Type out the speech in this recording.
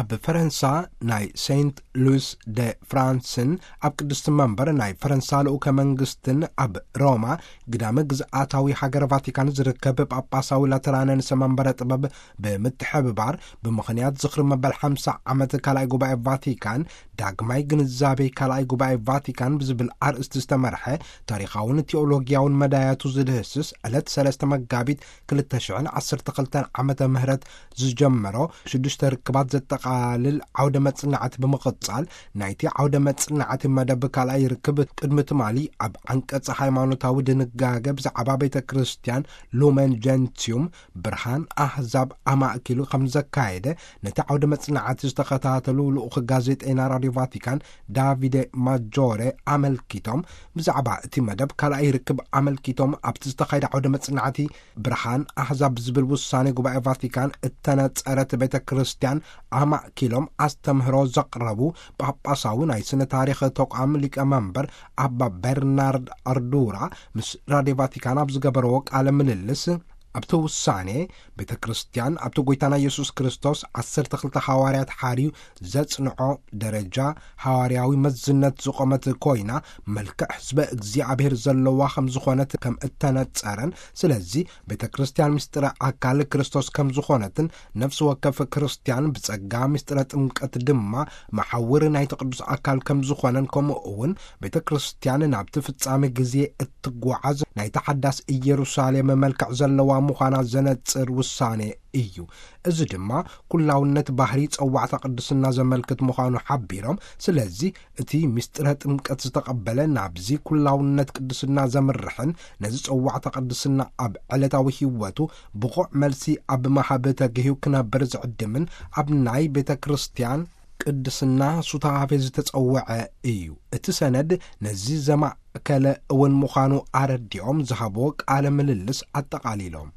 ኣብ ፈረንሳ ናይ ሴንት ሉስ ደ ፍራንስን ኣብ ቅድስቲ መንበር ናይ ፈረንሳ ልኡከ መንግስትን ኣብ ሮማ ግዳመ ግዝኣታዊ ሃገረ ቫቲካን ዝርከብ ጳጳሳዊ ላተራነ ንሰ መንበረ ጥበብ ብምትሕብባር፣ ብምኽንያት ዝኽሪ መበል ሓምሳ ዓመት ካልኣይ ጉባኤ ቫቲካን፣ ዳግማይ ግንዛቤ ካልኣይ ጉባኤ ቫቲካን ብዝብል ኣርእስቲ ዝተመርሐ ታሪኻውን ቴዎሎጊያውን መዳያቱ ዝድህስስ ዕለት ሰለስተ መጋቢት ክልተ ሽሕን ዓሰርተ ክልተን ዓመተ ምህረት ዝጀመሮ ሽዱሽተ ርክባት ዘጠቓልል ዓውደ መጽናዕቲ ብምቕጻል፣ ናይቲ ዓውደ መጽናዕቲ መደብ ካልኣይ ርክብ ቅድሚ ትማሊ ኣብ ዓንቀጽ ሃይማኖታዊ ድንጋገ ብዛዕባ ቤተ ክርስቲያን ሉመን ጀንቲዩም ብርሃን ኣህዛብ ኣማእኪሉ ከም ዘካየደ ነቲ ዓውደ መጽናዕቲ ዝተኸታተሉ ልኡኽ ጋዜጠይና ራድዮ ቫቲካን ዳቪደ ማጆሬ ኣመልኪቶም፣ ብዛዕባ እቲ መደብ ካልኣይ ርክብ ኣመልኪቶም ኣብቲ ዝተኻየደ ዓውደ መጽናዕቲ ብርሃን ኣህዛብ ዝብል ውሳኔ ጉባኤ ቫቲካን እተነጸረት ቤተ ክርስቲያን ኣማእኪሎም ኣስተምህሮ ዘቕረቡ ጳጳሳዊ ናይ ስነ ታሪኽ ተቋም ሊቀ መንበር ኣባ በርናርድ ኣርዱራ ምስ ራድዮ ቫቲካን ኣብ ዝገበረዎ ቃለ ምልልስ፣ ኣብቲ ውሳኔ ቤተ ክርስቲያን ኣብቲ ጎይታና የሱስ ክርስቶስ ዓሰርተ ክልተ ሃዋርያት ሓርዩ ዘጽንዖ ደረጃ ሃዋርያዊ መዝነት ዝቖመት ኮይና፣ መልክዕ ሕዝበ እግዚኣብሔር ዘለዋ ከም ዝኾነት ከም እተነጸረን፣ ስለዚ ቤተ ክርስቲያን ምስጢረ ኣካል ክርስቶስ ከም ዝኾነትን፣ ነፍሲ ወከፍ ክርስቲያን ብጸጋ ምስጢረ ጥምቀት ድማ መሓውር ናይቲ ቅዱስ ኣካል ከም ዝኾነን፣ ከምኡ እውን ቤተ ክርስቲያን ናብቲ ፍጻሜ ግዜ እትጓዓዝ ናይ ተሓዳስ ኢየሩሳሌም መልክዕ ዘለዋ ምዃና ዘነጽር ውሳኔ እዩ። እዚ ድማ ኩላውነት ባህሪ ጸዋዕታ ቅድስና ዘመልክት ምዃኑ ሓቢሮም፣ ስለዚ እቲ ምስጢረ ጥምቀት ዝተቐበለ ናብዚ ኩላውነት ቅድስና ዘምርሕን ነዚ ጸዋዕታ ቅድስና ኣብ ዕለታዊ ህይወቱ ብቑዕ መልሲ ኣብ መሃብ ተግህዩ ክነብር ዝዕድምን ኣብ ናይ ቤተ ክርስቲያን ቅድስና ሱታፌ ዝተጸውዐ እዩ። እቲ ሰነድ ነዚ ዘማእከለ እውን ምዃኑ ኣረዲኦም ዝሃብዎ ቃለ ምልልስ ኣጠቓሊሎም።